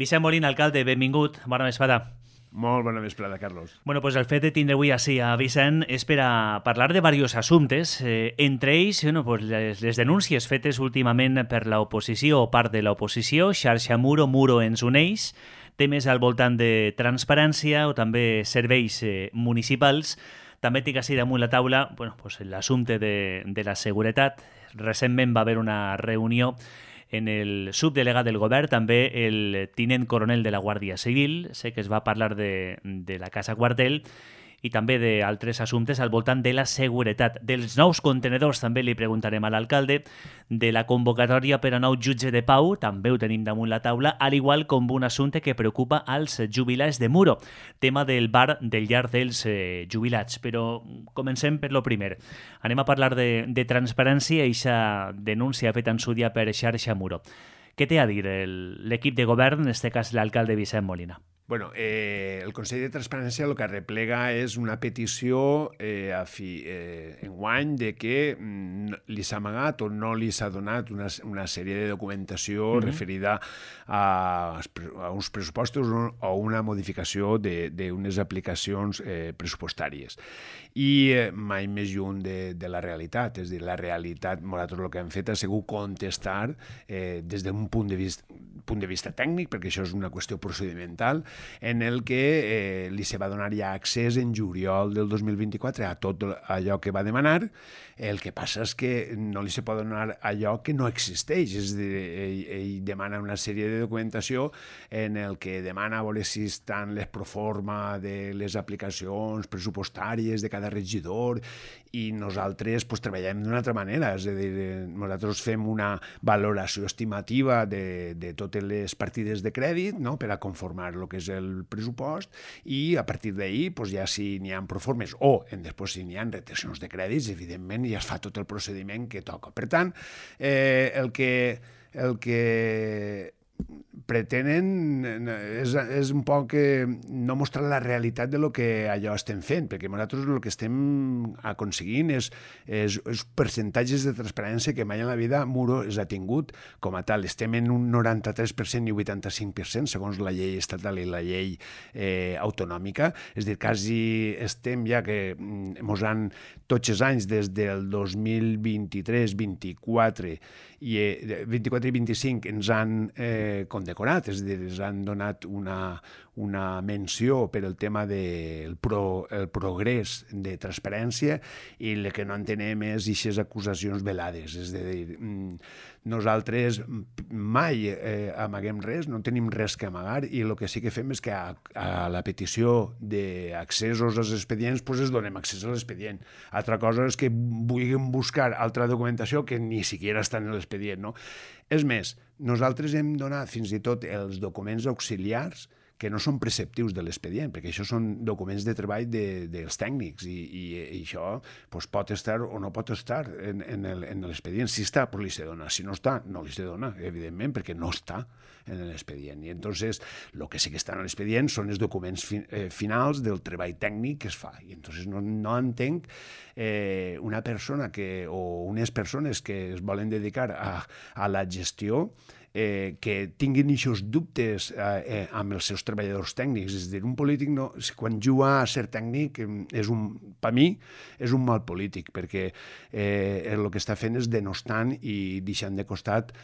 Vicent Molina, alcalde, benvingut. Bona vesprada. Molt bona vesprada, Carlos. Bueno, pues el fet de tindre avui així a Vicent és per a parlar de diversos assumptes, entre ells pues les denúncies fetes últimament per l'oposició o part de l'oposició, xarxa Muro ens uneix, temes al voltant de transparència o també serveis municipals. També tinc així damunt la taula pues l'assumpte de la seguretat. Recentment va haver una reunió en el subdelegat del govern, també el tinent coronel de la Guàrdia Civil. Sé que es va parlar de la Casa Quartel i també d'altres assumptes al voltant de la seguretat. Dels nous contenedors també li preguntarem a l'alcalde, de la convocatòria per a nou jutge de pau, també ho tenim damunt la taula, al igual com un assumpte que preocupa als jubilats de Muro, tema del bar del llar dels jubilats. Però comencem per lo primer. Anem a parlar de transparència i aquesta denúncia feta en su dia per xarxa Muro. Què té a dir l'equip de govern, en aquest cas l'alcalde Vicent Molina? Bueno, el Consell de Transparència el que arreplega és una petició enguany de que li s'ha amagat o no li s'ha donat una sèrie de documentació referida a uns pressupostos o una modificació d'unes aplicacions pressupostàries. I mai més lluny de la realitat. És a dir, la realitat, nosaltres el que hem fet ha sigut contestar des d'un punt de vista tècnic, perquè això és una qüestió procedimental, en el que li se va donar ja accés en juliol del 2024 a tot allò que va demanar. El que passa és que no li se pot donar allò que no existeix. És a dir, ell demana una sèrie de documentació en el que demana a veure si estan les proforma de les aplicacions pressupostàries de cada regidor, i nosaltres treballem d'una altra manera. És a dir, nosaltres fem una valoració estimativa de totes les partides de crèdit, no?, per a conformar el que és el pressupost, i a partir d'ahir ja si n'hi ha proformes o després si n'hi ha retencions de crèdits, evidentment ja es fa tot el procediment que toca. Per tant, el que pretenen és un poc no mostrar la realitat de lo que allò estem fent, perquè nosaltres el que estem aconseguint és percentatges de transparència que mai en la vida Muro ha tingut com a tal. Estem en un 93% i 85% segons la llei estatal i la llei autonòmica. És a dir, quasi estem ja que ens han tots els anys des del 2023, 24 i 25 ens han condecorat, és a dir, ens han donat una menció per el tema del progrés de transparència, i el que no entenem és aquestes acusacions velades. És a dir, nosaltres mai amaguem res, no tenim res que amagar, i el que sí que fem és que a la petició d'accessos als expedients es donem accés a l'expedient. Altra cosa és que vulguem buscar altra documentació que ni siquiera està en l'expedient, no? És més, nosaltres hem donat fins i tot els documents auxiliars que no són preceptius de l'expedient, perquè això són documents de treball dels tècnics, i això pot estar o no pot estar en l'expedient. Si està, li se dona. Si no està, no li se dona, evidentment, perquè no està en l'expedient. I entonces, el que sí que està en l'expedient són els documents finals del treball tècnic que es fa. I entonces no entenc una persona o unes persones que es volen dedicar a la gestió que tinguin aquests dubtes amb els seus treballadors tècnics. És a dir, un polític quan juga a ser tècnic per mi és un mal polític, perquè el que està fent és denostant i deixant de costat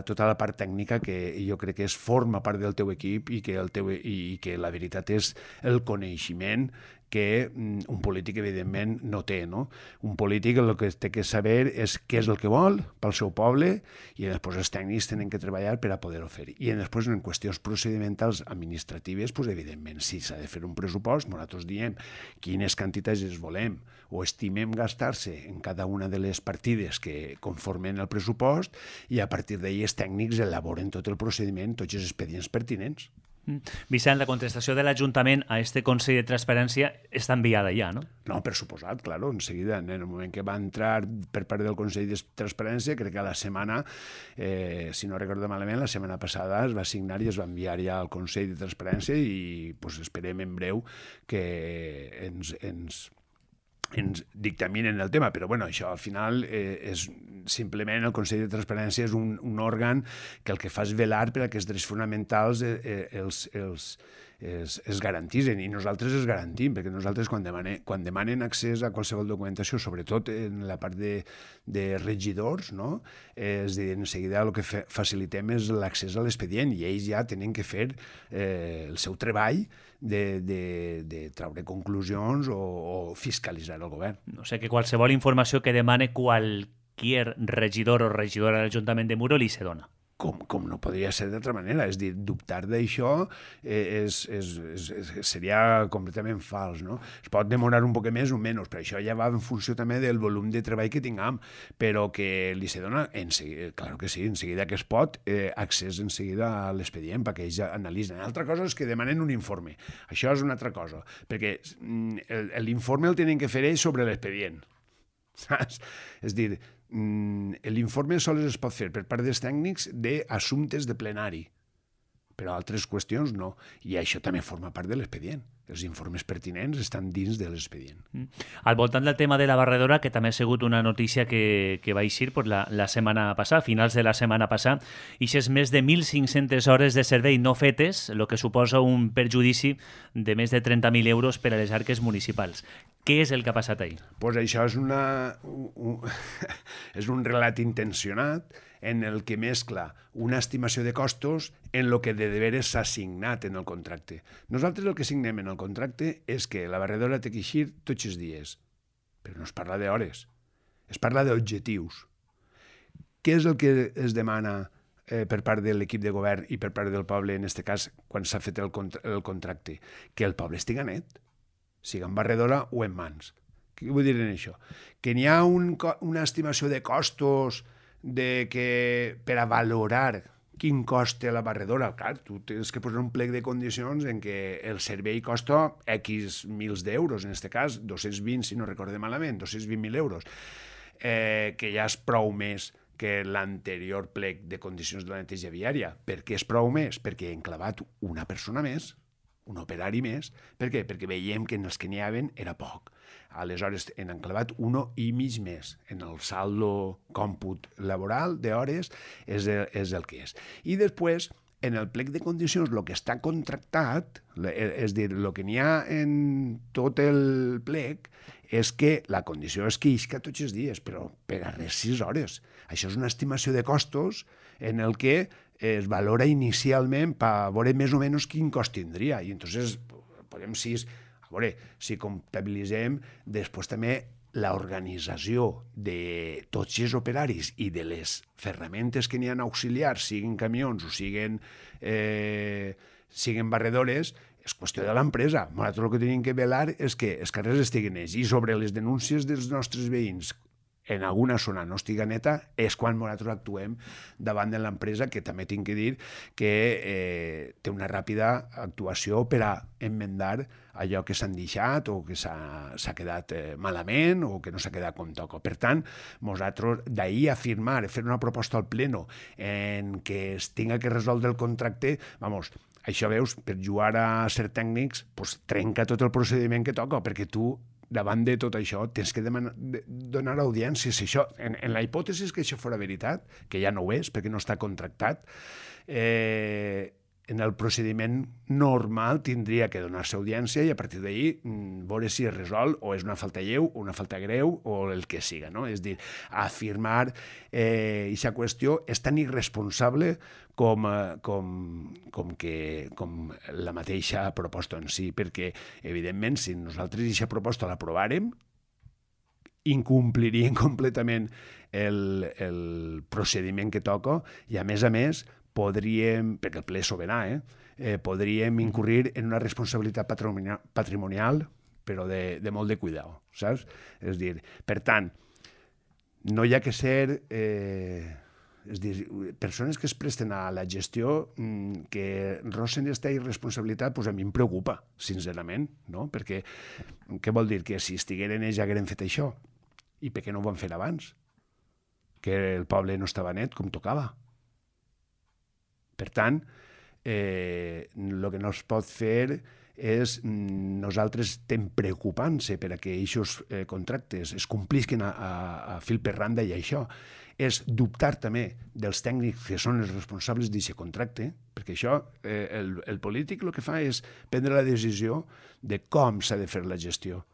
tota la part tècnica que jo crec que forma part del teu equip, i que la veritat és el coneixement que un polític, evidentment, no té, no? Un polític el que té que saber és què és el que vol pel seu poble, i després els tècnics tenen que treballar per a poder-ho fer. I després, en qüestions procedimentals administratives, evidentment, si s'ha de fer un pressupost, nosaltres diem quines quantitats es volem o estimem gastar-se en cada una de les partides que conformen el pressupost, i a partir d'ahir els tècnics elaboren tot el procediment, tots els expedients pertinents. Vicent, la contestació de l'Ajuntament a este Consell de Transparència està enviada ja, no? No, per suposat, claro, en seguida, en el moment que va entrar per part del Consell de Transparència, crec que a la setmana, si no recordo malament, la setmana passada es va signar i es va enviar ja al Consell de Transparència, i esperem en breu que ens ens dictaminen el tema, però bueno, això al final és simplement el Consell de Transparència és un òrgan que el que fa és velar per a que els drets fonamentals es garantitzen, i nosaltres els garantim, perquè nosaltres quan demanen accés a qualsevol documentació, sobretot en la part de regidors, no? És dir, en seguida el que facilitem és l'accés a l'expedient, i ells ja tenen que fer el seu treball de treure conclusions o fiscalitzar el govern. O sigui que qualsevol informació que demane qualsevol regidor o regidora de l'Ajuntament de Muro li se dona. Com no podria ser d'altra manera. És dir, dubtar d'això seria completament fals, no? Es pot demorar un poc més o menys, però això ja va en funció també del volum de treball que tinguem, però que li se dona, clar que sí, en seguida que es pot, accés en seguida a l'expedient perquè ells analitzen. L'altra cosa és que demanen un informe. Això és una altra cosa, perquè l'informe el tenen que fer ells sobre l'expedient. Saps? És dir, l'informe sols es pot fer per part dels tècnics d'assumptes de plenari, però altres qüestions no, i això també forma part de l'expedient. Els informes pertinents estan dins de l'expedient. Al voltant del tema de la barredora, que també ha sigut una notícia que va eixir la setmana passada, finals de la setmana passada, i és més de 1.500 hores de servei no fetes, el que suposa un perjudici de més de 30.000 euros per a les arques municipals. Què és el que ha passat ahir? Pues això és és un relat intencionat en el que mescla una estimació de costos en el que de veres s'ha signat en el contracte. Nosaltres el que signem en el contracte és que la barredora té que eixir tots els dies, però no es parla d'hores, es parla d'objectius. Què és el que es demana per part de l'equip de govern i per part del poble, en aquest cas, quan s'ha fet el contracte? Que el poble estiga net, siga en barredora o en mans. Què vull dir en això? Que n'hi ha una estimació de costos per a valorar quin cost té la barredora. Clar, tu tens que posar un plec de condicions en què el servei costa X mils d'euros, en aquest cas 220, si no recorde malament, 220.000 euros, que ja és prou més que l'anterior plec de condicions de la neteja viària. Per què és prou més? Perquè he enclavat una persona més, un operari més. Per què? Perquè veiem que en els que n'hi havien era poc. Aleshores, hem enclavat 1,5 més. En el saldo còmput laboral d'hores és el que és. I després, en el plec de condicions, el que està contractat, és dir, el que n'hi ha en tot el plec, és que la condició és que isca tots els dies, però per a res 6 hores. Això és una estimació de costos en el que es valora inicialment per veure més o menys quin cost tindria. I entonces podem si comptabilitzem després també l'organització de tots els operaris i de les ferramentes que n'hi ha auxiliars, siguin camions o siguin barredores, és qüestió de l'empresa. Nosaltres el que tenim que velar és que els carrers estiguin nets, i sobre les denúncies dels nostres veïns en alguna zona no estiga neta, és quan nosaltres actuem davant de l'empresa, que també tinc que dir que té una ràpida actuació per a enmendar allò que s'han deixat o que s'ha quedat malament o que no s'ha quedat com toca. Per tant, nosaltres d'ahir afirmar, fer una proposta al pleno en què es tinga que resoldre el contracte, això veus, per jugar a ser tècnics, trenca tot el procediment que toca, perquè tu davant de tot això tens que donar audiències. En la hipòtesi que això fora veritat, que ja no ho és perquè no està contractat, en el procediment normal tindria que donar-se audiència i a partir d'ahir veure si es resol o és una falta lleu o una falta greu o el que siga, no? És dir, afirmar aquesta qüestió és tan irresponsable com la mateixa proposta en si, perquè, evidentment, si nosaltres aquesta proposta l'aprovàrem, incomplirien completament el procediment que toca i, a més, podríem, perquè el ple és sobirà, podríem incurrir en una responsabilitat patrimonial, però de molt de cuidado, saps? És dir, per tant, no hi ha que ser persones que es presten a la gestió que rossen aquesta irresponsabilitat, a mi em preocupa, sincerament, no? Perquè què vol dir? Que si estigueren ells ja hagueren fet això, i per què no ho van fer abans? Que el poble no estava net com tocava. Per tant, el que no es pot fer nosaltres estem preocupant-se per a que aquests contractes es complisquen a fil per randa, i això és dubtar també dels tècnics que són els responsables d'aquest contracte, perquè això, el polític el que fa és prendre la decisió de com s'ha de fer la gestió.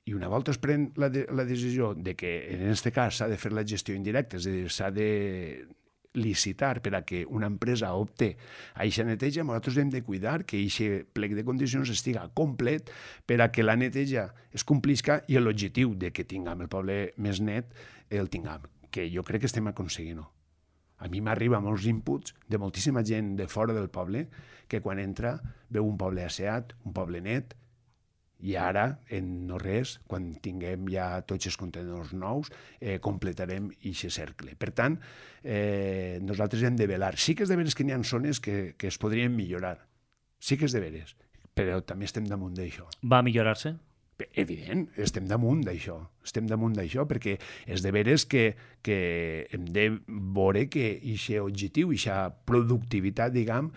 I una volta es pren la decisió de que en aquest cas s'ha de fer la gestió indirecta, és a dir, s'ha de licitar per a que una empresa opte a aquesta neteja, nosaltres hem de cuidar que aquest plec de condicions estiga complet per a que la neteja es complisca i l'objectiu de que tinguem el poble més net el tinguem, que jo crec que estem aconseguint-ho. A mi m'arriba molts inputs de moltíssima gent de fora del poble que quan entra veu un poble asseat, un poble net, i ara, en no res, quan tinguem ja tots els contenidors nous, completarem aquest cercle. Per tant, nosaltres hem de velar. Sí que és de veres que n'hi ha zones que es podrien millorar. Sí que és de veres, però també estem damunt d'això. Va millorar-se? Evident, estem damunt d'això, perquè és de veres que hem de veure que aquest objectiu, aquesta productivitat, diguem,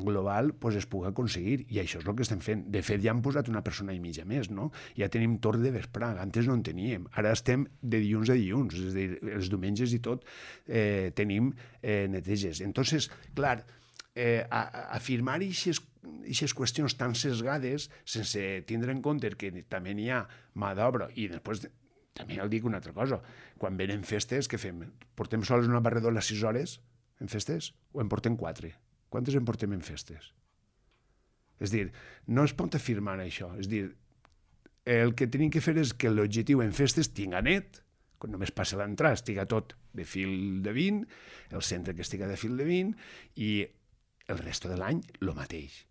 global, pues es pugui aconseguir, i això és el que estem fent. De fet, ja hem posat una persona i mitja més, no? Ja tenim torn de vespre, antes no en teníem, ara estem de dilluns a dilluns, és a dir, els diumenges i tot tenim neteges. Entonces, clar, afirmar aquestes qüestions tan sesgades sense tindre en compte que també n'hi ha mà d'obra, i després també dic una altra cosa, quan venen festes, què fem? Portem sols una barredora 6 hores en festes o en portem 4? Quantes en portem en festes? És dir, no es pot afirmar això, és dir, el que tenim que fer és que l'objectiu en festes tinga net, quan només passa l'entrada estiga tot de fil de 20, el centre que estiga de fil de 20, i el resto de l'any el mateix.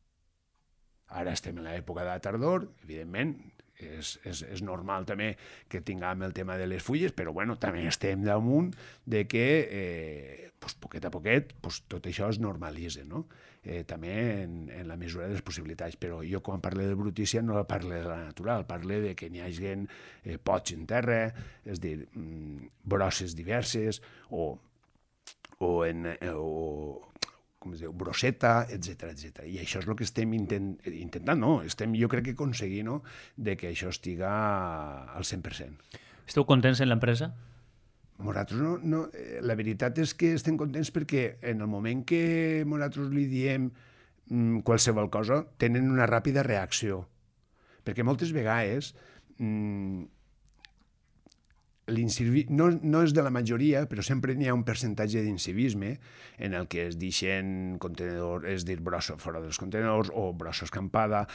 Ara estem en l'època de la tardor, evidentment, és normal també que tinguem el tema de les fulles, però bueno, també estem damunt de que poquet a poquet tot això es normalitza, no? També en la mesura de les possibilitats, però jo quan parlo de brutícia no parlo de la natural, parlo de que n'hi hagi pots en terra, és dir, brosses diverses o com es diu, brosseta, etc. I això és el que estem intentant, no? Jo crec que aconseguint, no?, de que això estiga al 100%. Esteu contents en l'empresa? Nosaltres no. La veritat és que estem contents perquè en el moment que nosaltres li diem qualsevol cosa, tenen una ràpida reacció. Perquè moltes vegades no és de la majoria, però sempre n'hi ha un percentatge d'incivisme en el que es deixen contenedors, és dir, brossa fora dels contenedors, o brossa escampada,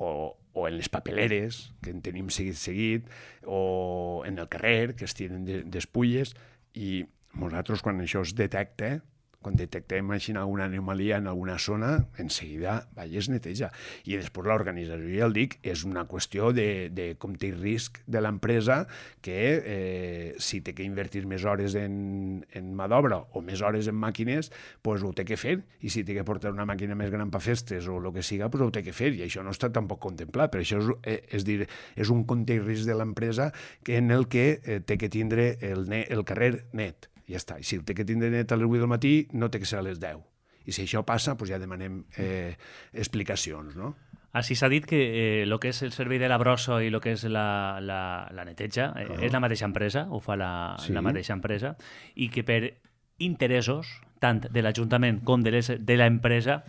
o en les papeleres, que en tenim seguit, o en el carrer, que es tiren despulles, i nosaltres, quan això es detecta, quan detectem alguna anomalia en alguna zona, en seguida es neteja. I després l'organització, ja el dic, és una qüestió de compte i risc de l'empresa, que si té que invertir més hores en mà d'obra o més hores en màquines, doncs ho té que fer, i si té que portar una màquina més gran per festes o el que siga, doncs ho té que fer, i això no està tampoc contemplat. Per això és un compte i risc de l'empresa en el que té que tindre el carrer net. Ja està. I si té que tindre net a les 8 del matí, no té que ser a les 10. I si això passa, doncs ja demanem explicacions, no? Així s'ha dit que el que és el servei de la brossa i el que és la neteja és la mateixa empresa, ho fa la mateixa empresa, i que per interessos, tant de l'Ajuntament com de l'empresa,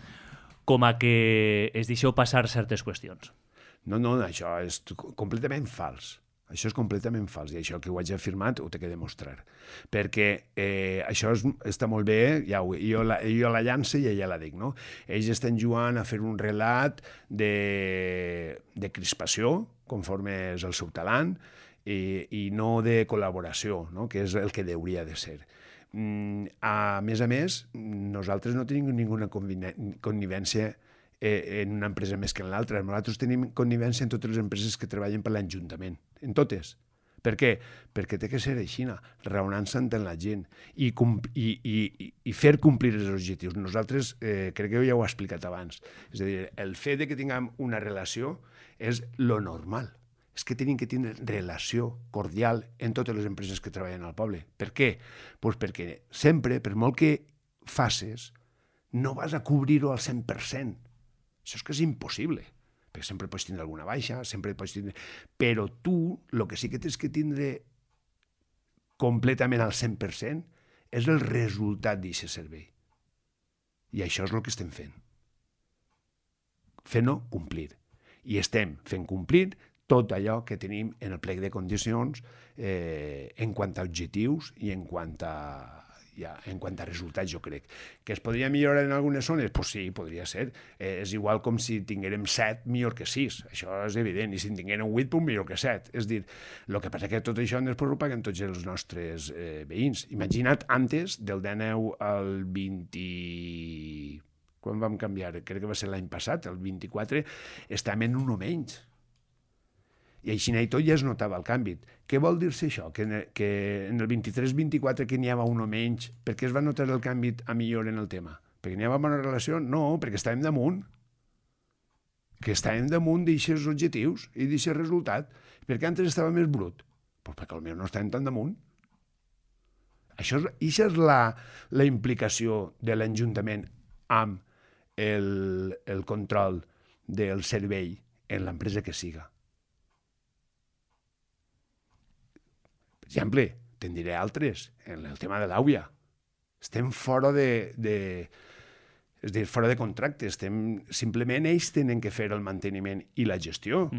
com a que es deixeu passar certes qüestions. No, això és completament fals. Això és completament fals, i això que ho haig afirmat ho té que demostrar. Perquè això està molt bé, jo la llanço i ja la dic, no? Ells estan jugant a fer un relat de crispació, conforme és el seu talent, i no de col·laboració, no?, que és el que hauria de ser. A més, nosaltres no tenim ninguna connivència en una empresa més que en l'altra. Nosaltres tenim connivència en totes les empreses que treballen per l'Ajuntament, en totes. Per què? Perquè té que ser així, raonant-se amb la gent i fer complir els objectius. Nosaltres, crec que ja ho he explicat abans, és a dir, el fet de que tinguem una relació és lo normal. És que tenim que tindre relació cordial en totes les empreses que treballen al poble. Per què? Doncs perquè sempre, per molt que facis, no vas a cobrir-ho al 100%. Això és que és impossible, perquè sempre pots tindre alguna baixa, sempre pots tindre... Però tu, el que sí que tens que tindre completament al 100% és el resultat d'aquest servei. I això és el que estem fent. Fent-ho complir. I estem fent complir tot allò que tenim en el plec de condicions en quant a objectius i en quant a resultats, jo crec. Que es podria millorar en algunes zones? Pues sí, podria ser. És igual com si tinguérem 7 millor que 6. Això és evident. I si en tinguérem 8, pues millor que 7. És dir, el que passa que tot això després ho paguen tots els nostres veïns. Imagina't, antes, del 19 al 20... Quan vam canviar? Crec que va ser l'any passat, el 24, estàvem en un o menys. I així i tot ja es notava el canvi. Què vol dir-se això? Que en el 23-24 que n'hi havia un o menys, per què es va notar el canvi a millor en el tema? Perquè n'hi havia bona relació? No, perquè estàvem damunt. Que estàvem damunt d'aixes objectius i d'aixes resultat. Per què antes estava més brut? Pues perquè potser no estàvem tan damunt. Això és la implicació de l'Ajuntament amb el control del servei en l'empresa que siga. Per exemple, te'n diré altres, en el tema de l'AUIA. Estem fora és a dir, fora de contracte. Simplement ells tenen que fer el manteniment i la gestió,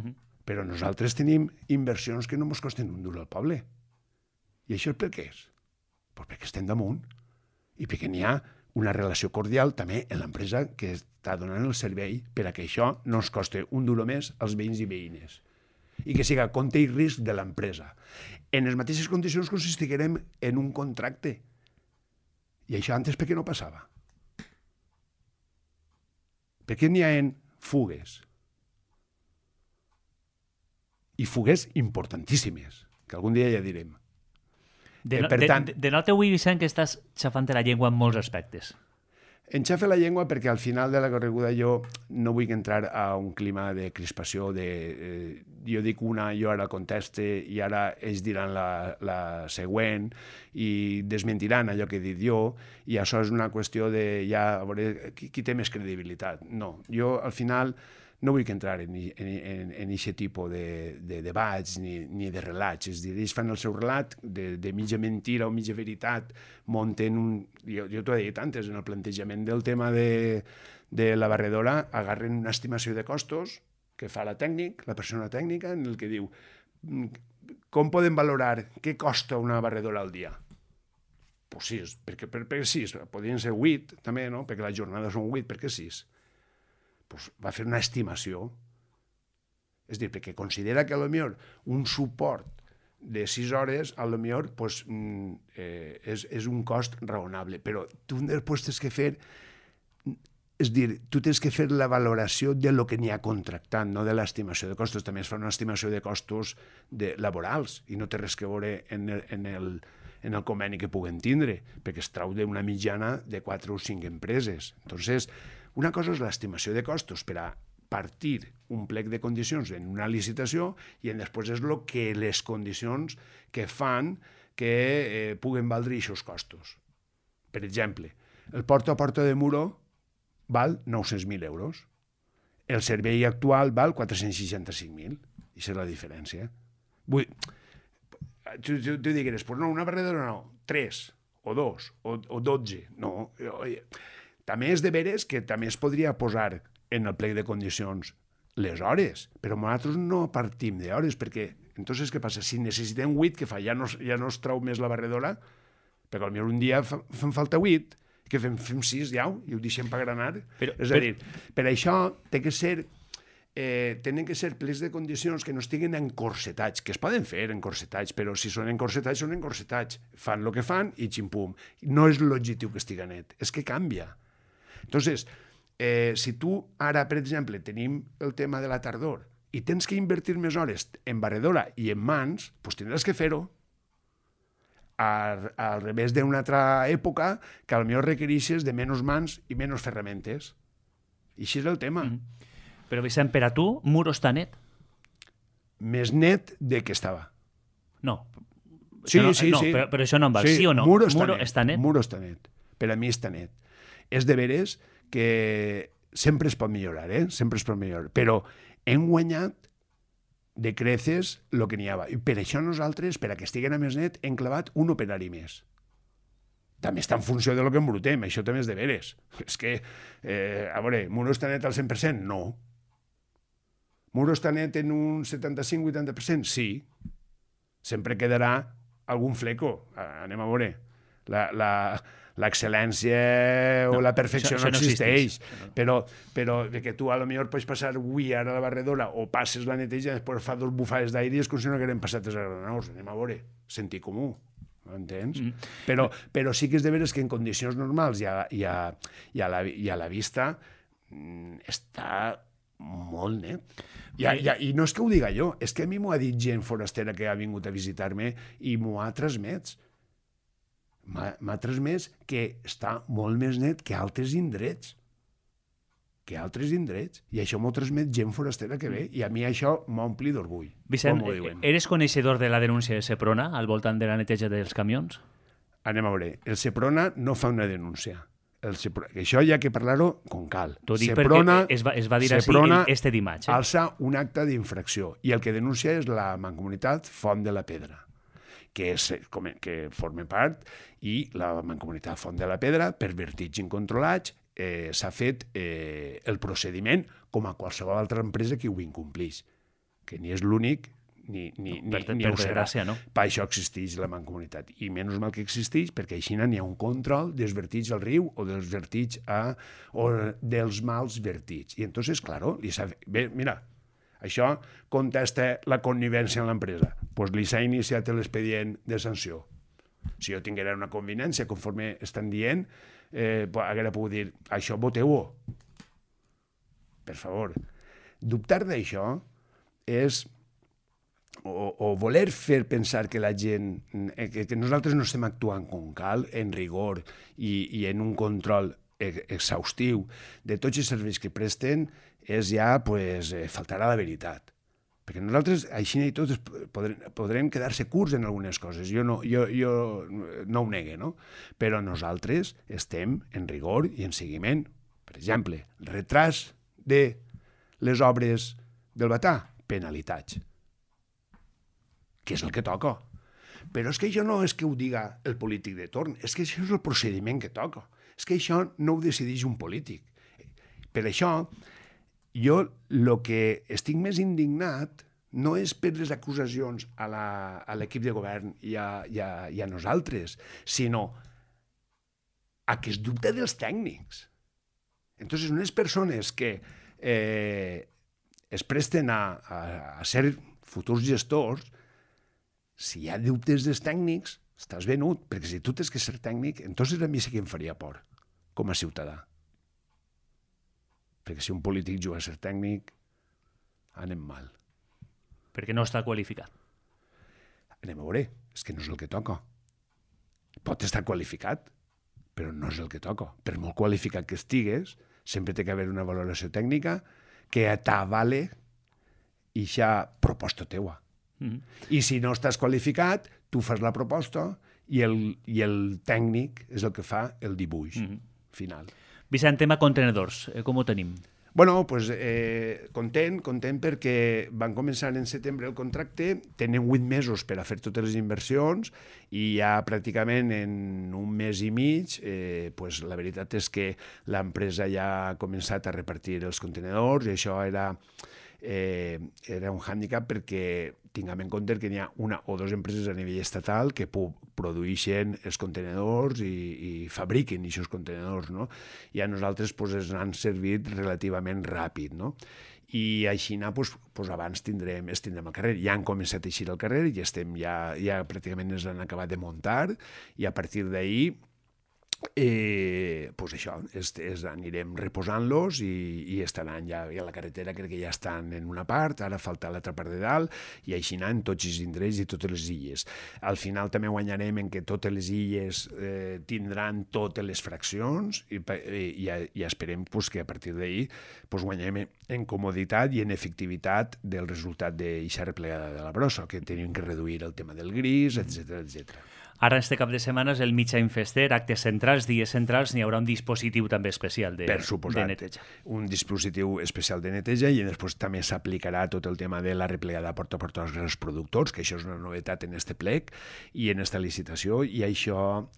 però nosaltres tenim inversions que no ens costen un duro al poble. I això per què és? Pues perquè estem damunt i perquè n'hi ha una relació cordial també en l'empresa que està donant el servei per a que això no ens costi un duro més als veïns i veïnes i que siga compte i risc de l'empresa. En les mateixes condicions que si estiguérem en un contracte. I això antes per què no passava? Per què n'hi ha fugues? I fugues importantíssimes, que algun dia ja direm. De nota avui, Vicent, que estàs xafant la llengua en molts aspectes. Enxafe la llengua perquè al final de la correguda jo no vull entrar a un clima de crispació, jo dic una, jo ara conteste i ara ells diran la següent i desmentiran allò que he dit jo i això és una qüestió de ja a veure qui té més credibilitat. No, jo al final no vull entrar en aquest tipus de debats ni de relats. És a dir, ells fan el seu relat de mitja mentira o mitja veritat, munten un... Jo t'ho he dit antes, en el plantejament del tema de la barredora, agarren una estimació de costos que fa la persona tècnica, en el que diu com podem valorar què costa una barredora al dia? Pues 6, perquè 6, podrien ser 8 també, no? Perquè les jornades són 8, per què 6? Pues va fer una estimació. És dir, perquè considera que potser un suport de 6 hores potser pues, és un cost raonable, però tu després tens que fer, és dir, tu tens que fer la valoració de lo que n'hi ha contractant, no de l'estimació de costos. També es fa una estimació de costos laborals i no té res que veure en el conveni que puguen tindre, perquè es trau d'una mitjana de 4 o 5 empreses. Entonces, una cosa és l'estimació de costos per a partir un plec de condicions en una licitació i després és el que les condicions que fan que puguen valdre aquests costos. Per exemple, el porta a porta de Muro val 900.000 euros. El servei actual val 465.000. I és la diferència. Tu digueres, pues no, una barredora no, 3 o 2 o 12. No, també és de veres que també es podria posar en el plec de condicions les hores, però nosaltres no partim d'hores, perquè entonces què passa? Si necessitem 8, què fa? Ja no es trau més la barredora? Perquè potser un dia fem falta 8, que fem 6 ja, i ho deixem per granar. És a dir, per això tenen que ser plecs de condicions que no estiguen encorsetats, que es poden fer encorsetats, però si són encorsetats, són encorsetats. Fan el que fan i ximpum. No és l'objectiu que estigui net, és que canvia. Entonces, si tu ara, per exemple, tenim el tema de la tardor i tens que invertir més hores en barredora i en mans, doncs tindràs que fer-ho. Al revés d'una altra època que potser requereixes de menys mans i menys ferramentes. I així és el tema. Però, Vicent, per a tu, Muro està net? Més net de que estava. No. Sí. Però això no em val. Sí o no? Muro està net. Per a mi està net. És de veres que sempre es pot millorar, sempre es pot millorar, però hem guanyat de creces el que n'hi havia. I per això nosaltres, per a que estiguen a més net, hem clavat un operari més. També està en funció de lo que embrutem, això també és de veres. És que, a veure, Muro està net al 100%? No. Muro està net en un 75-80%? Sí. Sempre quedarà algun fleco. Anem a veure. L'excel·lència o la perfecció no existeix. Però que tu a lo millor pots passar avui ara a la barredora o passes la neteja, després fa 2 bufades d'aire i és com si no hagueren passat 3 granous. Anem a veure. Sentit comú. Entens? Però sí que és de veres que en condicions normals i a la vista està molt net. I no és que ho diga jo, és que a mi m'ho ha dit gent forastera que ha vingut a visitar-me i m'ho ha transmès. M'ha transmès que està molt més net que altres indrets. I això m'ho transmet gent forastera que ve, i a mi això m'ompli d'orgull. Vicent, eres coneixedor de la denúncia de Seprona al voltant de la neteja dels camions? Anem a veure, el Seprona no fa una denúncia. Això hi ha que parlar-ho com cal. T'ho dic perquè es va dir així este dimarts. Alça un acte d'infracció, i el que denuncia és la Mancomunitat Font de la Pedra, que forma part, i la Mancomunitat Font de la Pedra, per vertigs incontrolats, s'ha fet el procediment com a qualsevol altra empresa que ho incomplís, que ni és l'únic ni ho serà. No? Per això existeix la Mancomunitat, i menys mal que existeix, perquè així n'hi ha un control dels vertigs al riu o dels vertigs o dels mals vertigs. I entonces, claro, bé, mira, això contesta la connivència en l'empresa. Doncs li s'ha iniciat l'expedient de sanció. Si jo tinguera una convivència, conforme estan dient, haguera pogut dir, això voteu-ho. Per favor. Dubtar d'això és o voler fer pensar que la gent, que nosaltres no estem actuant com cal, en rigor i en un control exhaustiu de tots els serveis que presten, és ja faltar a la veritat. Perquè nosaltres, així i tot, podrem quedar-se curts en algunes coses. Jo no ho negue, no? Però nosaltres estem en rigor i en seguiment. Per exemple, retras de les obres del Batà, penalitats. Que és el que toca. Però és que això no és que ho diga el polític de torn, és que això és el procediment que toca. És que això no ho decideix un polític. Per això, jo el que estic més indignat no és per les acusacions a l'equip de govern i a nosaltres, sinó a que es dubta dels tècnics. Entonces, unes persones que es presten a ser futurs gestors, si hi ha dubtes dels tècnics, estàs venut, perquè si tu tens que ser tècnic, entonces a mi sí que em faria por, com a ciutadà. Perquè si un polític juga a ser tècnic, anem mal. Perquè no està qualificat. Anem a veure, és que no és el que toca. Pot estar qualificat, però no és el que toca. Per molt qualificat que estigues, sempre té que haver una valoració tècnica que t'avale ixa proposta teua. I si no estàs qualificat, tu fas la proposta i el tècnic és el que fa el dibuix final. Vicent, tema contenedors, com ho tenim? Bueno, pues, content perquè van començar en setembre el contracte, tenen 8 mesos per a fer totes les inversions i ja pràcticament en un mes i mig, pues, la veritat és que l'empresa ja ha començat a repartir els contenedors i això era un hàndicap perquè tinguem en compte que n'hi ha una o dues empreses a nivell estatal que produeixen els contenedors i fabriquen aquests contenedors, no? I a nosaltres ens han servit relativament ràpid, no? I així abans tindrem el carrer. Ja han començat a eixir al carrer i ja pràcticament ens han acabat de muntar i a partir d'ahir això, anirem reposant-los i estaran ja a la carretera, crec que ja estan en una part, ara falta l'altra part de dalt, i així en tots els indrets i totes les illes. Al final també guanyarem en que totes les illes tindran totes les fraccions i esperem que a partir d'ahir guanyem en comoditat i en efectivitat del resultat d'eixa replegada de la brossa, que tenim que reduir el tema del gris, etc etc. Ara, este cap de setmana, és el Mitjany Fester, actes centrals, dies centrals, n'hi haurà un dispositiu també especial de neteja. Un dispositiu especial de neteja i després també s'aplicarà tot el tema de la replegada porta a porta als grans productors, que això és una novetat en este plec i en esta licitació, i això...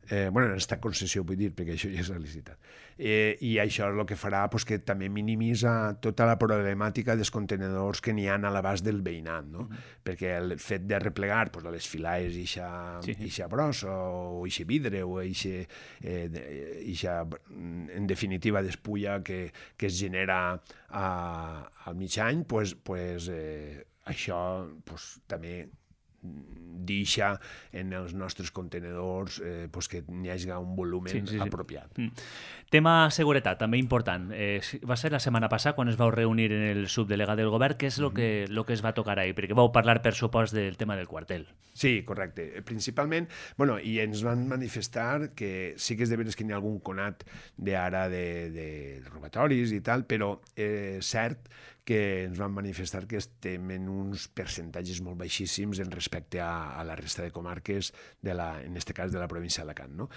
en esta concessió, vull dir, perquè això ja és la licitat. I això és el que farà que també minimitza tota la problemàtica dels contenedors que n'hi ha a l'abast del veïnat, no? Perquè el fet de replegar a les filaes ixa brossa o ixe vidre o ixa, en definitiva, despulla que es genera al mig any, això també deixa en els nostres contenedors que n'hi hagi un volum apropiat. Tema seguretat, també important. Va ser la setmana passada quan es vau reunir en el subdelegat del govern. Què és el que es va tocar ahir? Perquè vau parlar, per supost, del tema del quartel. Sí, correcte. Principalment, i ens van manifestar que sí que és de veres que n'hi ha algun conat d'ara de robatoris i tal, però cert que ens van manifestar que estem en uns percentatges molt baixíssims en respecte a la resta de comarques, en aquest cas de la província d'Alacant. No?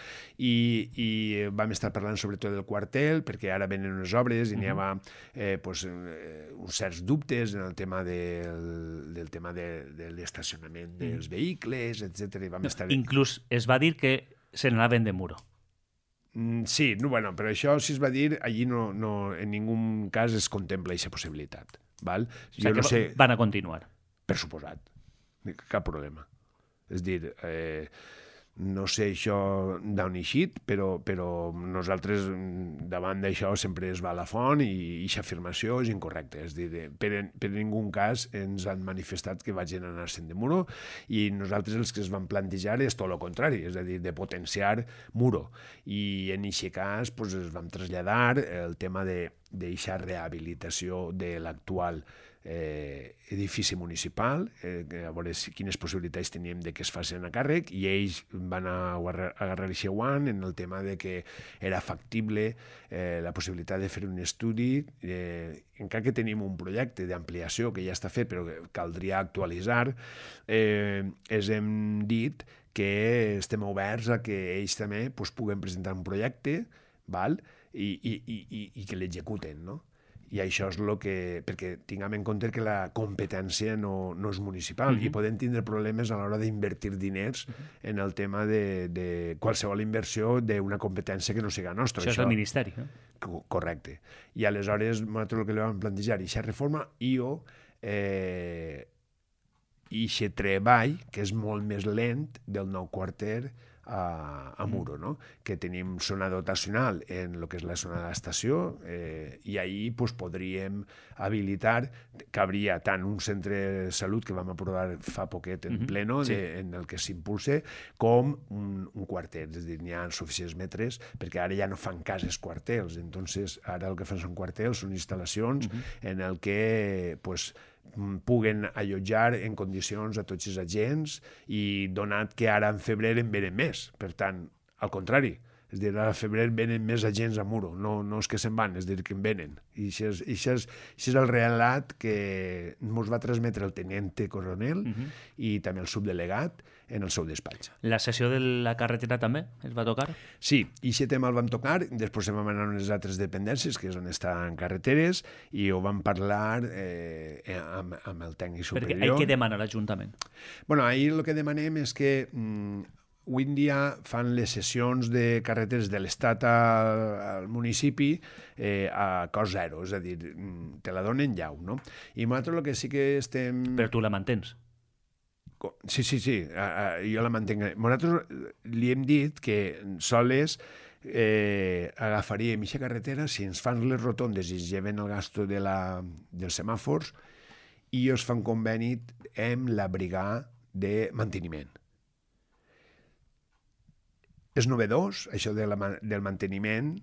I vam estar parlant sobretot del quartel, perquè ara venen unes obres i n'hi havia uns certs dubtes en el tema del tema de l'estacionament dels vehicles, etc. Inclús es va dir que se n'anaven de muro. Sí, però això, si es va dir, allí no en ningú cas es contempla aquesta possibilitat. Val? Jo no sé... van a continuar. Per suposat. Cap problema. És dir, no sé això d'on eixit, però nosaltres davant d'això sempre es va a la font i aquesta afirmació és incorrecta. És dir, per ningú cas ens han manifestat que vagin a anar-se'n de muro i nosaltres els que es van plantejar és tot el contrari, és a dir, de potenciar muro. I en aquest cas es vam traslladar el tema d'eixa rehabilitació de l'actual edifici municipal, a veure quines possibilitats teníem de que es facin a càrrec, i ells van agarrar aquest guant en el tema de que era factible la possibilitat de fer un estudi, encara que tenim un projecte d'ampliació que ja està fet però que caldria actualitzar, els hem dit que estem oberts a que ells també puguen presentar un projecte, i que l'executen, no? I això és el que... perquè tinguem en compte que la competència no és municipal i podem tindre problemes a l'hora d'invertir diners en el tema de qualsevol inversió d'una competència que no siga nostra. Això és el Ministeri, no? Correcte. I aleshores nosaltres el que li vam plantejar aquesta reforma i aquest treball, que és molt més lent, del nou quarter a Muro, no? Que tenim zona dotacional en el que és la zona de l'estació i ahir podríem habilitar, cabria tant un centre de salut que vam aprovar fa poquet en pleno, en el que s'impulse, com un quarter, és a dir, n'hi ha suficients metres, perquè ara ja no fan cases quartels, entonces ara el que fan són quartels, són instal·lacions en el que puguen allotjar en condicions a tots els agents i donat que ara en febrer en venen més. Per tant, al contrari, és a dir, a febrer venen més agents a Muro, no és que se'n van, és a dir, que en venen. I això és el relat que ens va transmetre el tenente coronel i també el subdelegat en el seu despatx. La sessió de la carretera també es va tocar? Sí, i aquest tema el vam tocar, després vam anar a unes altres dependències, que és on estan carreteres, i ho vam parlar amb el tècnic superior. Perquè què demana l'Ajuntament? Ahir el que demanem és que avui en dia fan les sessions de carreteres de l'Estat al municipi a cost zero, és a dir, te la donen llau, no? I nosaltres el que sí que estem... Però tu la mantens? Sí, jo la mantenc. Nosaltres li hem dit que soles agafaríem aquesta carretera si ens fan les rotondes i es lleven el gasto dels semàfors i es fan conveni amb la brigada de manteniment. És novedós, això del manteniment,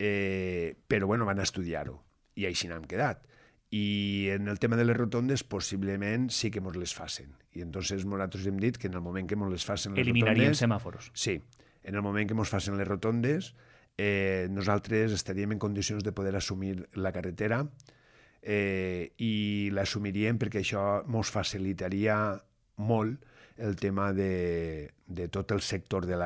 però van estudiar-ho i així n'hem quedat. I en el tema de les rotondes possiblement sí que ens les facin. I entonces nosaltres hem dit que en el moment que ens les facin les eliminaríem semàforos. Sí, en el moment que ens facin les rotondes nosaltres estaríem en condicions de poder assumir la carretera i l'assumiríem perquè això ens facilitaria molt el tema de tot el sector de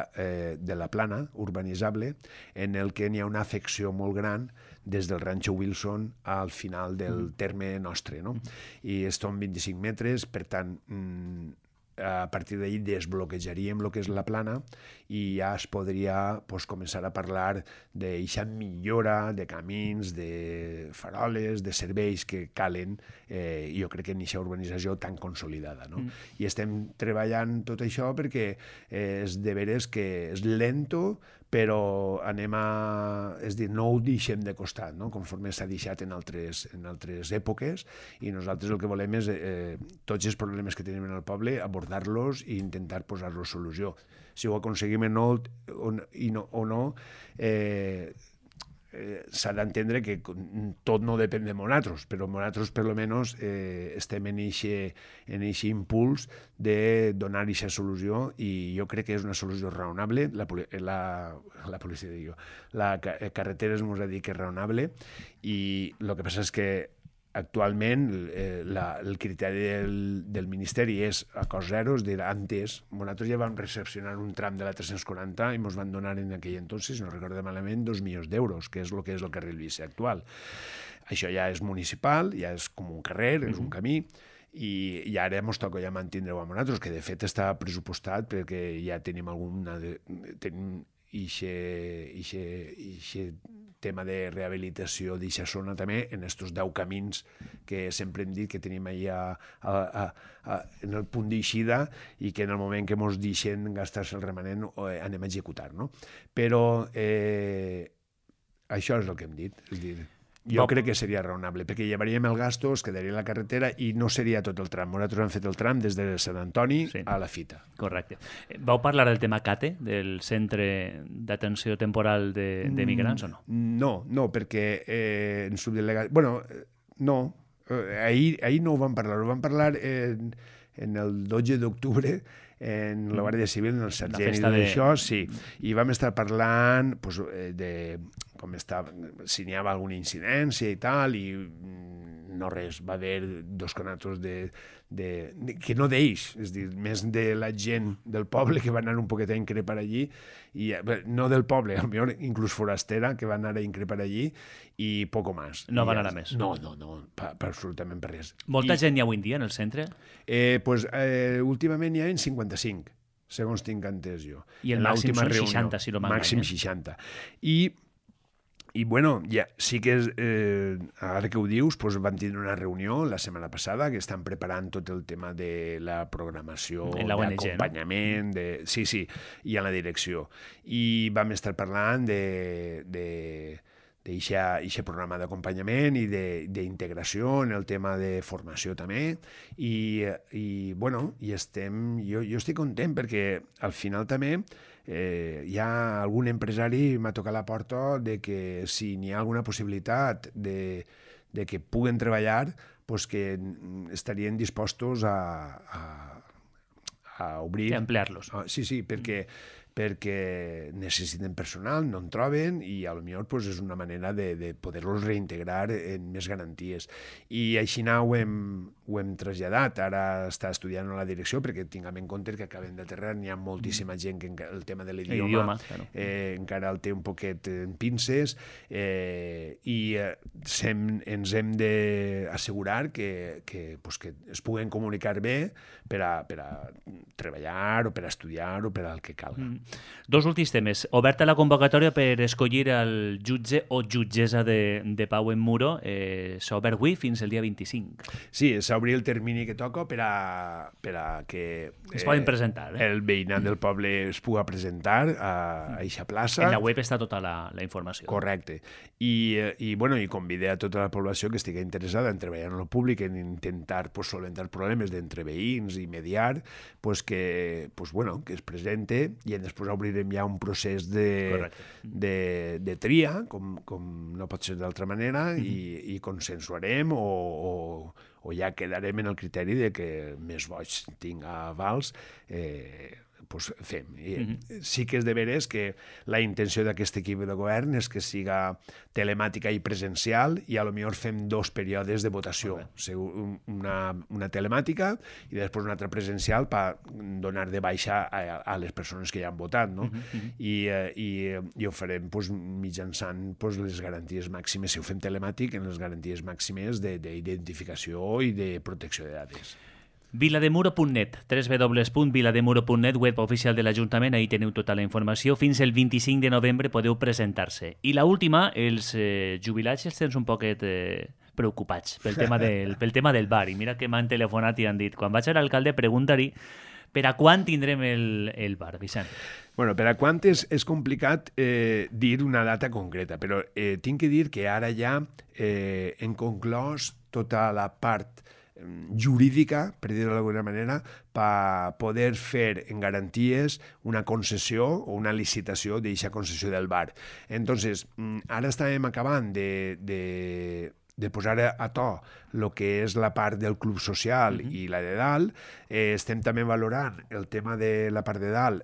la plana urbanitzable, en el que n'hi ha una afecció molt gran des del Rancho Wilson al final del terme nostre, no? I són 25 metres, per tant, a partir d'ahir desbloquejaríem el que és la plana i ja es podria començar a parlar d'eixa millora de camins, de faroles, de serveis que calen, jo crec que en eixa urbanització tan consolidada. No? I estem treballant tot això perquè és de veres que és lento, però és dir, no ho deixem de costat, no? Conforme s'ha deixat en altres èpoques, i nosaltres el que volem és tots els problemes que tenim en el poble, abordar-los i intentar posar-los solució. Si ho aconseguim o no, s'ha d'entendre que tot no depèn de nosaltres, però nosaltres per almenys estem en aquest impuls de donar aquesta solució, i jo crec que és una solució raonable. La policia, dic jo, la carretera ens ha dit que és raonable, i el que passa és que actualment el criteri del Ministeri és a cost zero, és a dir, antes nosaltres ja vam recepcionar un tram de la 340 i ens van donar en aquell entonces, no recordo malament, 2 milions d'euros, que és el que és el carril bici actual. Això ja és municipal, ja és com un carrer, és un camí, i ara ens toca ja mantindre-ho a nosaltres, que de fet està pressupostat perquè ja tenim ixe tema de rehabilitació d'eixa zona també en estos 10 camins que sempre hem dit que tenim allà en el punt d'eixida, i que en el moment que ens deixen gastar-se el remanent anem a executar, no? Però això és el que hem dit, és dir, jo crec que seria raonable, perquè llevaríem el gasto, es quedaria la carretera i no seria tot el tram. Nosaltres hem fet el tram des de Sant Antoni a la Fita. Correcte. Vau parlar del tema CATE, del Centre d'Atenció Temporal de Migrants, o no? No, perquè en subdelegat... Bueno, no. Ahir no ho vam parlar en el 12 d'octubre en la Guàrdia Civil, en el sergent i d'això, sí. I vam estar parlant de com si n'hi havia alguna incidència i tal, i no res, va haver 2 conatos que no d'ells, és a dir, més de la gent del poble que va anar un poquet a increpar allí, i no del poble, potser inclús forastera, que va anar a increpar allí, i poco més. No van anar més? No, absolutament per res. Molta gent hi ha avui en dia en el centre? Últimament hi ha 55, segons tinc entès jo. I el màxim són 60, si no m'enganya. Màxim 60. I bueno, ja, sí que ara que ho dius, van tindre una reunió la setmana passada que estan preparant tot el tema de la programació, d'acompanyament, sí, i a la direcció. I vam estar parlant d'eixe programa d'acompanyament i d'integració en el tema de formació també, i bueno, jo estic content perquè al final també hi ha algun empresari m'ha tocat la porta de que si n'hi ha alguna possibilitat de que puguen treballar, pues que estarien dispostos a obrir... A emplear-los. Sí, perquè necessiten personal, no en troben, i potser és una manera de poder-los reintegrar en més garanties. I així ho hem traslladat. Ara està estudiant a la direcció, perquè tinguem en compte que acabem d'aterrar, n'hi ha moltíssima gent que el tema de l'idioma encara el té un poquet en pinces, i ens hem d'assegurar que es puguen comunicar bé per a treballar o per a estudiar o per al que calga. 2 últims temes. Oberta la convocatòria per escollir el jutge o jutgessa de pau en Muro. S'ha obert avui fins el dia 25. Sí, s'ha obert el termini que toca per a que es poden presentar, el veïnat del poble es pugui presentar a eixa plaça. En la web està tota la informació. Correcte. I convide a tota la població que estigui interessada en treballar en el públic, en intentar solventar problemes d'entre veïns i mediar, que es presente, i després obrirem ja un procés de tria, com no pot ser d'altra manera, i consensuarem o ja quedarem en el criteri de que més boig tinga avals, pues, fem. Sí que és de veres que la intenció d'aquest equip de govern és que siga telemàtica i presencial i a lo millor fem 2 períodes de votació. Una telemàtica i després una altra presencial per donar de baixa a les persones que ja han votat, no? I ho farem pues, mitjançant pues, les garanties màximes. Si ho fem telemàtic, en les garanties màximes d'identificació i de protecció de dades. Vilademuro.net, www.vilademuro.net, web oficial de l'Ajuntament, ahí teniu tota la informació. Fins el 25 de novembre podeu presentar-se. I la última, els jubilats els tens un poquet preocupats pel tema del bar. I mira que m'han telefonat i han dit, quan vaig a l'alcalde, pregunta-li per a quan tindrem el bar, Vicent? Bueno, per a quan és complicat dir una data concreta, però tinc que dir que ara ja hem conclòs tota la part jurídica, per dir-ho d'alguna manera, per poder fer en garanties una concessió o una licitació d'aquesta concessió del bar. Entonces, ara estàvem acabant de posar a to el que és la part del club social i la de dalt. Estem també valorant el tema de la part de dalt,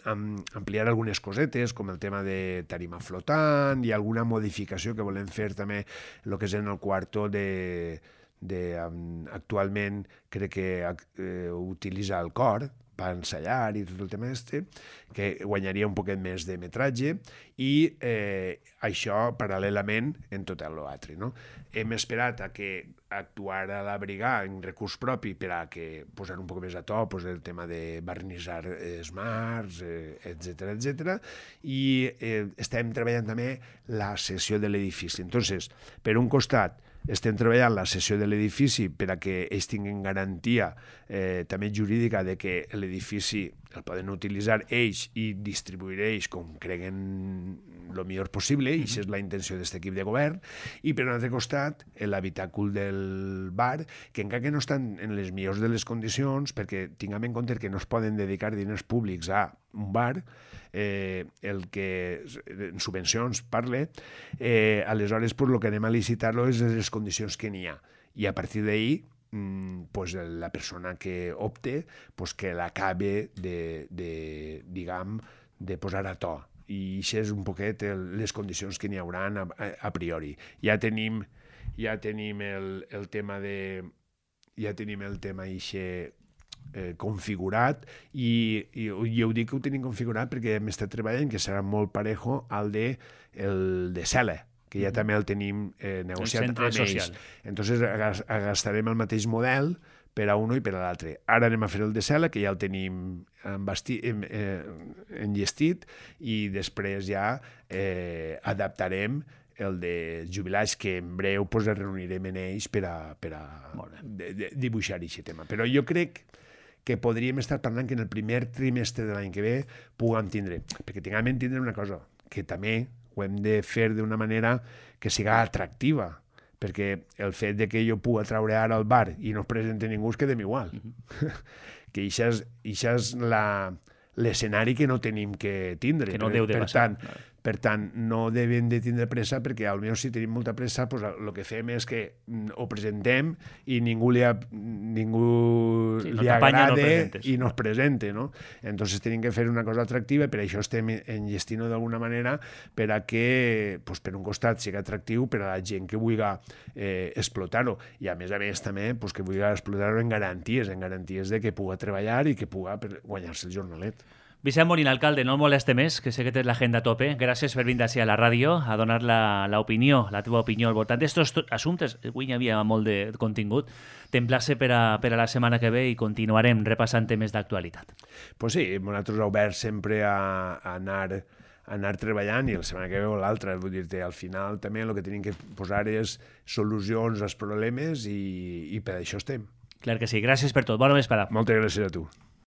ampliar algunes cosetes, com el tema de tarima flotant i alguna modificació que volem fer també el que és en el quarto actualment crec que utilitza el cor per ensaiar i tot el tema que guanyaria un poquet més de metratge i això paral·lelament en tot l'altre. No? Hem esperat a que actuara la brigada en recurs propi per a que posar un poc més a to pues, el tema de barnitzar smarts, etc. I estem treballant també la cessió de l'edifici. Entonces, per un costat, estem treballant la cessió de l'edifici per a que ells tinguin garantia també jurídica de que l'edifici el poden utilitzar ells i distribuir ells com creguen el millor possible, i això és la intenció d'aquest equip de govern. I per un altre costat, l'habitàcul del bar, que encara que no estan en les millors de les condicions, perquè tinguem en compte que no es poden dedicar diners públics a un bar, el que en subvencions parle, aleshores pues, el que anem a licitar-lo és les condicions que n'hi ha, i a partir d'ahir pues, la persona que opte pues, que l'acabe de posar a to, i això és un poquet les condicions que n'hi haurà a priori. Ja tenim el tema configurat i ho dic que ho tenim configurat perquè hem estat treballant que serà molt parejo al de Cela, que ja també el tenim negociat amb ells. Entonces gastarem el mateix model per a un i per a l'altre. Ara anem a fer el de Cela, que ja el tenim enllestit, i després ja adaptarem el de jubilats, que en breu pues, es reunirem en ells per a dibuixar aquest tema. Però jo crec que podríem estar parlant que en el primer trimestre de l'any que ve puguem tindre, perquè tinguem en tindre una cosa, que també ho hem de fer d'una manera que siga atractiva, perquè el fet de que jo pugui treure ara al bar i no es presenti ningú es quedem igual. Que això és l'escenari que no tenim que tindre. Que no deu de passar. Per tant, no devem de tindre pressa, perquè potser si tenim molta pressa, pues, el que fem és que ho presentem i ningú li agrada i no es presente. No? Entonces tenim que fer una cosa atractiva, i per això estem enllestint-ho d'alguna manera per a que, pues, per un costat, sigui atractiu per a la gent que vulgui explotar-ho, i a més també pues, que vulgui explotar-ho en garanties de que pugui treballar i que pugui guanyar-se el jornalet. Vicent Molina, alcalde, no el moleste més, que sé que tens l'agenda a tope. Gràcies per vindre així a la ràdio a donar la teva opinió al voltant d'estos assumptes. Avui hi havia molt de contingut. T'emplace per a la setmana que ve i continuarem repassant temes d'actualitat. Pues sí, nosaltres oberts sempre a anar treballant, i la setmana que ve o l'altra, vull dir-te, al final també el que tenim que posar és solucions als problemes, i per això estem. Clar que sí. Gràcies per tot. Bona vesprada. Moltes gràcies a tu.